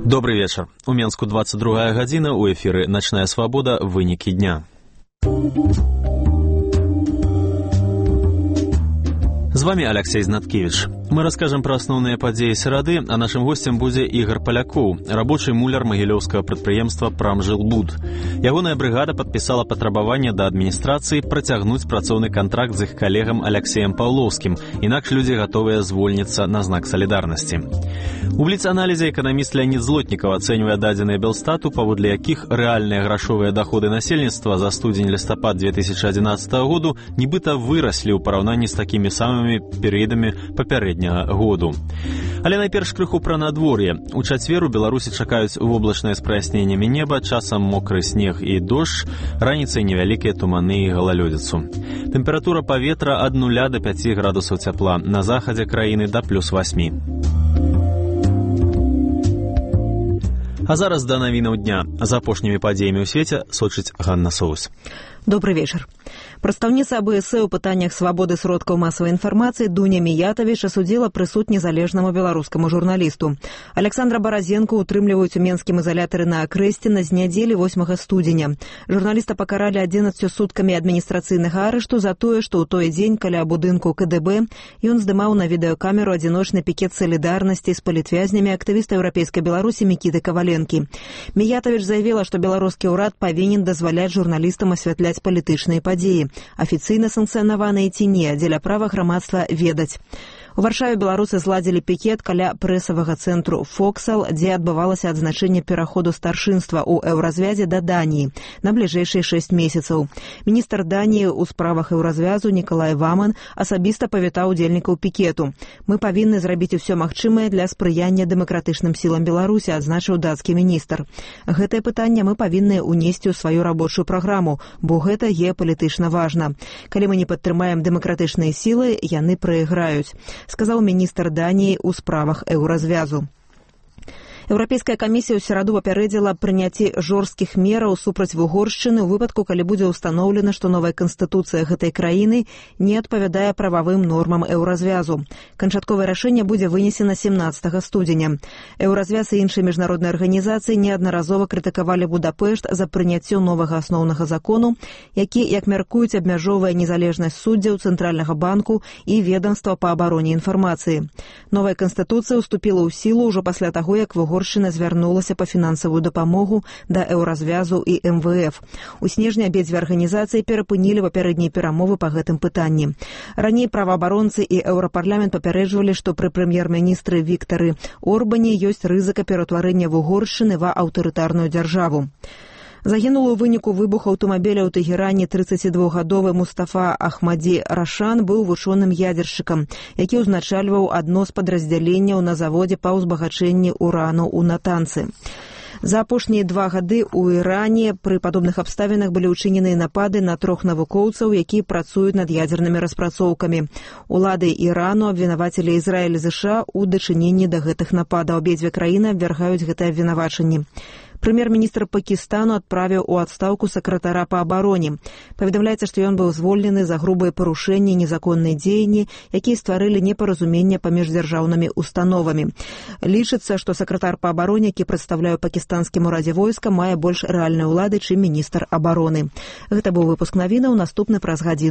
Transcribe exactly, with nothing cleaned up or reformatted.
Добрый вечер. У Менску двадцать другая гадзіна, у эфіры «Начная свобода. Вынікі дня». З вами Алексей Знаткевич. Мы расскажем про основные подзеи серады, а нашим гостем будзе Ігор Палякоў, рабочий муляр магілёўскага прадпрыемства «Прамжилбуд». Ягоная бригада подписала патрабаванне да адміністрацыі працягнуць працоўны контракт з іх калегам Алексеем Паўлоўскім, інакш людзі гатовыя звольніцца на знак солідарнасці. У бліц-аналізе эканаміст Леонид Злотнікаў ацэньвае дадзеныя Белстату, паводле якіх рэальныя грашовыя даходы насельніцтва за студзень-лістапад две тысячи одиннадцатого году нібыта выраслі ў параўнанні з такімі самымі перыядамі папярэдняга году. Але найперш крыху пра надвор'е. У чацвер у Беларусі чакаюць воблачнае з праясненнямі неба, часам мокры снег і дождж, раніцай невялікія туманы і галалёдзіцу. Тэмпература паветра ад нуля до пяці градусаў цяпла, на захадзе краіны да плюс восьмі. А зараз да навінаў дня. За апошнімі падзеямі ў свеце сочыць Ганна Соус. Добрый вечер. Прадстаўніца АБС у пытаннях свабоды сродкаў масавай інфармацыі Дуня Міятавіч асудзіла прысуд незалежнаму беларускаму журналісту. Александра Баразенко утрымліваюць у менскім ізалятары на Акрэсціна з нядзелі восьмага студзеня. Журналіста пакаралі адзінаццю суткамі адміністрацыйнага арышту за тое, што ў той дзень каля будынку КДБ ён здымаў на відэакамеру адзіночны пікет салідарнасці з палітвязнямі актывіста еўрапейскай Беларусі Мікіты Каваленкі. Міятавіч заявіла, што беларускі ўрад павінен дазваляць журналістам асвятляць палітычныя падзеі, афіцыйна санкцыянаваныя ці не, дзеля права грамадства ведаць. У Варшаве беларусы зладзілі пікет каля прэсавага цэнтру «Фоксал», дзе адбывалася адзначэнне пераходу старшынства ў еўразвязе да Даніі на бліжэйшыя шэсць месяцаў. Міністр Даніі ў справах еўразвязу Нікалай Ваман асабіста павітаў удзельнікаў пікету. «Мы павінны зрабіць усё магчымае для спрыяння дэмакратычным сілам Беларусі», адзначыў дацкі міністр. Гэтае пытанне мы павінны ўнесці ў сваю рабочую праграму, бо гэта геапалітычна важна. Калі мы не падтрымаем дэмакратычныя сілы, яны прайграюць, сказаў міністр Даніі ў справах еўразвязу. Еўрапейская камісія ў сераду папярэдзіла прыняцці жорсткіх мераў супраць Угоршчыны ў выпадку, калі будзе ўстаноўлена, што новая канстытуцыя гэтай краіны не адпавядае прававым нормам еўразвязу. Канчатковае рашэнне будзе вынесена семнаццатага студзеня. Еўразвяз і іншыя міжнародныя арганізацыі неаднаразова крытыкавалі Будапешт за прыняццё новага асноўнага закону, які, як мяркуюць, абмяжоўвае незалежнасць суддзяў Цэнтральнага банку і ведамства па абароне інфармацыі. Новая канстытуцыя ўступіла ў сілу ўжо пасля таго, як Угоршчына Угоршчына звярнулася па фінансавую дапамогу да еўразвязу і эм вэ эф. У снежні абедзве арганізацыі перапынілі папярэднія перамовы па гэтым пытанні. Раней праваабаронцы і еўрапарламент папярэджвалі, што пры прэм'ер-міністры Віктары Орбане ёсць рызыка пераўтварэння Угоршчыны ва аўтарытарную дзяржаву. Загінуў у выніку выбуху аўтамабіля ў Тэгеране трыццацідвухгадовы Мустафа Ахмадзі Рашан быў вучоным ядзершчыкам, які ўзначальваў адно з падраздзяленняў на заводзе па ўзбагачэнні урану ў Натанцы. За апошнія два гады ў Іране пры падобных абставінах былі ўчыненыя напады на трох навукоўцаў, якія працуюць над ядзернымі распрацоўкамі. Улады Ірану абвінавацілі Ізраіль і ЗША ў дачыненні да гэтых нападаў. Абедзве краіны абвяргаюць гэтае абвінавачанне. Прэм'ер-міністр Пакістану адправіў у адстаўку сакратара па абароне. Паведамляецца, што ён быў звольнены за грубыя парушэнні і незаконныя дзеянні, якія стварылі непаразумення паміж дзяржаўнымі установамі. Лічыцца, што сакратар па абароне, які прадстаўляе пакістанскім урадзе войска, мае больш рэальныя ўлады, чым міністр абароны. Гэта быў выпуск навінаў, наступны праз гадзіну.